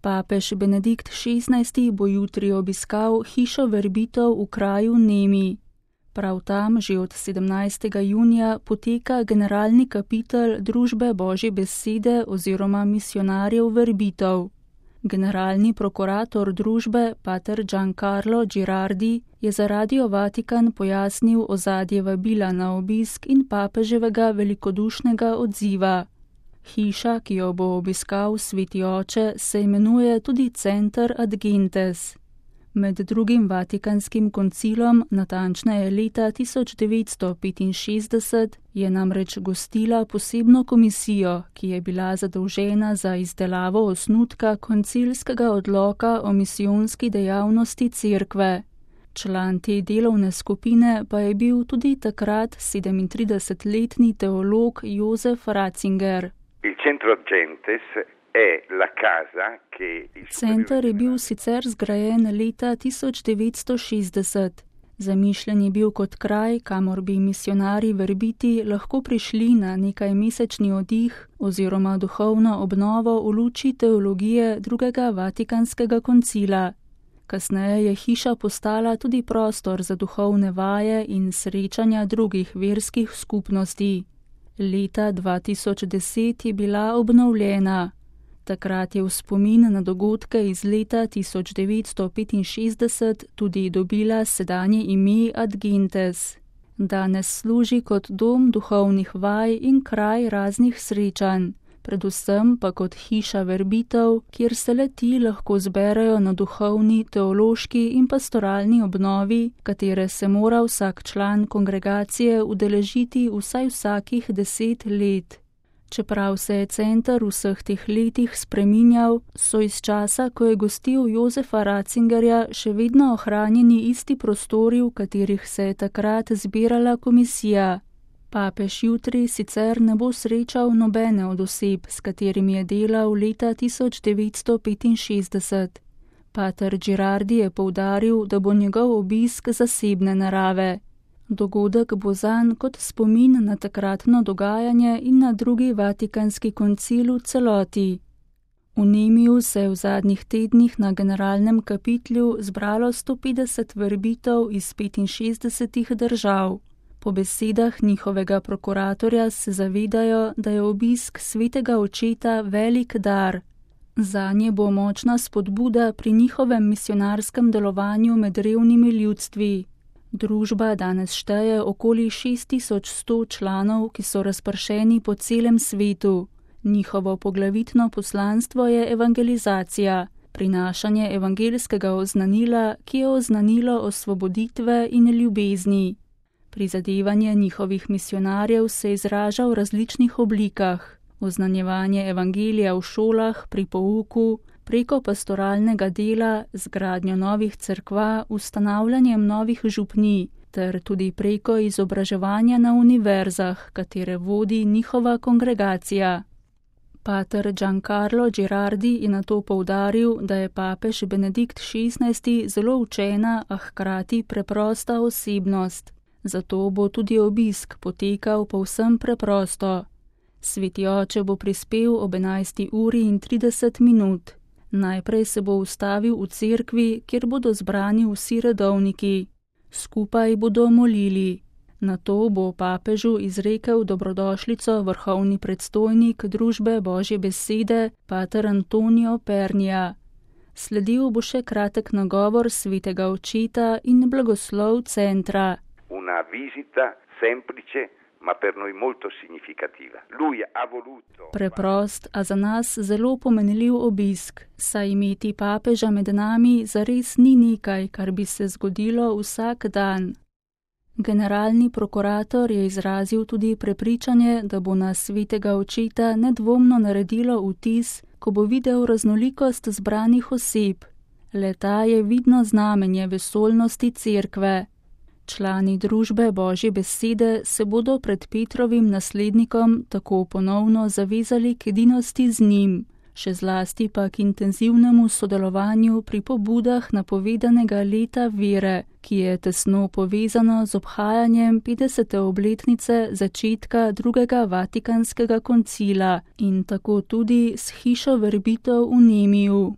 Papež Benedikt XVI bo jutri obiskal hišo verbitev v kraju Nemi. Prav tam že od 17. junija poteka generalni kapitel Družbe Božje besede oziroma misijonarjev verbitev. Generalni prokurator družbe, pater Giancarlo Girardi, je za Radio Vatikan pojasnil ozadje vabila na obisk in papeževega velikodušnega odziva. Hiša, ki jo bo obiskal sveti oče, se imenuje tudi Center Ad Gentes. Med drugim Vatikanskim koncilom, natančneje leta 1965, je namreč gostila posebno komisijo, ki je bila zadolžena za izdelavo osnutka koncilskega odloka o misijonski dejavnosti cerkve. Član te delovne skupine pa je bil tudi takrat 37-letni teolog Josef Ratzinger. Center je bil sicer zgrajen leta 1960. Zamišljen je bil kot kraj, kamor bi misijonarji verbiti lahko prišli na nekaj mesečni oddih oziroma duhovno obnovo v luči teologije drugega Vatikanskega koncila. Kasneje je hiša postala tudi prostor za duhovne vaje in srečanja drugih verskih skupnosti. Leta 2010 je bila obnovljena. Takrat je v spomin na dogodke iz leta 1965 tudi dobila sedanje ime Ad Gentes. Danes služi kot dom duhovnih vaj in kraj raznih srečanj, predvsem pa kot hiša verbitev, kjer se le-ti lahko zberejo na duhovni, teološki in pastoralni obnovi, katere se mora vsak član kongregacije udeležiti vsaj vsakih 10 let. Čeprav se je center v vseh teh letih spreminjal, so iz časa, ko je gostil Josefa Ratzingerja, še vedno ohranjeni isti prostori, v katerih se je takrat zbirala komisija. Papež jutri sicer ne bo srečal nobene od oseb, s katerimi je delal leta 1965. Pater Girardi je poudaril, da bo njegov obisk zasebne narave. Dogodek bo zanj kot spomin na takratno dogajanje in na drugi Vatikanski koncil v celoti. V Nemiju se je v zadnjih tednih na generalnem kapitlu zbralo 150 verbitev iz 65 držav. Po besedah njihovega prokuratorja se zavedajo, da je obisk svetega očeta velik dar. Zanje bo močna spodbuda pri njihovem misijonarskem delovanju med revnimi ljudstvi. Družba danes šteje okoli 6100 članov, ki so razpršeni po celem svetu. Njihovo poglavitno poslanstvo je evangelizacija, prinašanje evangelskega oznanila, ki je oznanilo osvoboditve in ljubezni. Prizadevanje njihovih misijonarjev se izraža v različnih oblikah. Oznanjevanje evangelija v šolah, pri pouku, preko pastoralnega dela, zgradnjo novih cerkva, ustanavljanjem novih župnij, ter tudi preko izobraževanja na univerzah, katere vodi njihova kongregacija. Pater Giancarlo Girardi je nato poudaril, da je papež Benedikt XVI zelo učena, a hkrati preprosta osebnost. Zato bo tudi obisk potekal povsem preprosto. Sveti oče bo prispel ob 11:30. Najprej se bo ustavil v cerkvi, kjer bodo zbrani vsi redovniki. Skupaj bodo molili. Nato bo papežu izrekel dobrodošlico vrhovni predstojnik Družbe Božje besede, pater Antonio Pernija. Sledil bo še kratek nagovor svetega očeta in blagoslov centra. Una visita semplice, ma per noi molto significativa. Lui ha voluto... Preprost, a za nas zelo pomenljiv obisk, saj imeti papeža med nami zares ni nekaj, kar bi se zgodilo vsak dan. Generalni prokurator je izrazil tudi prepričanje, da bo na svetega očeta nedvomno naredilo vtis, ko bo videl raznolikost zbranih oseb. Le-ta je vidno znamenje vesoljnosti cerkve. Člani Družbe Božje besede se bodo pred Petrovim naslednikom tako ponovno zavezali k edinosti z njim, še zlasti pa k intenzivnemu sodelovanju pri pobudah napovedanega leta vere, ki je tesno povezano z obhajanjem 50. obletnice začetka drugega Vatikanskega koncila in tako tudi s hišo verbitev v Nemiju.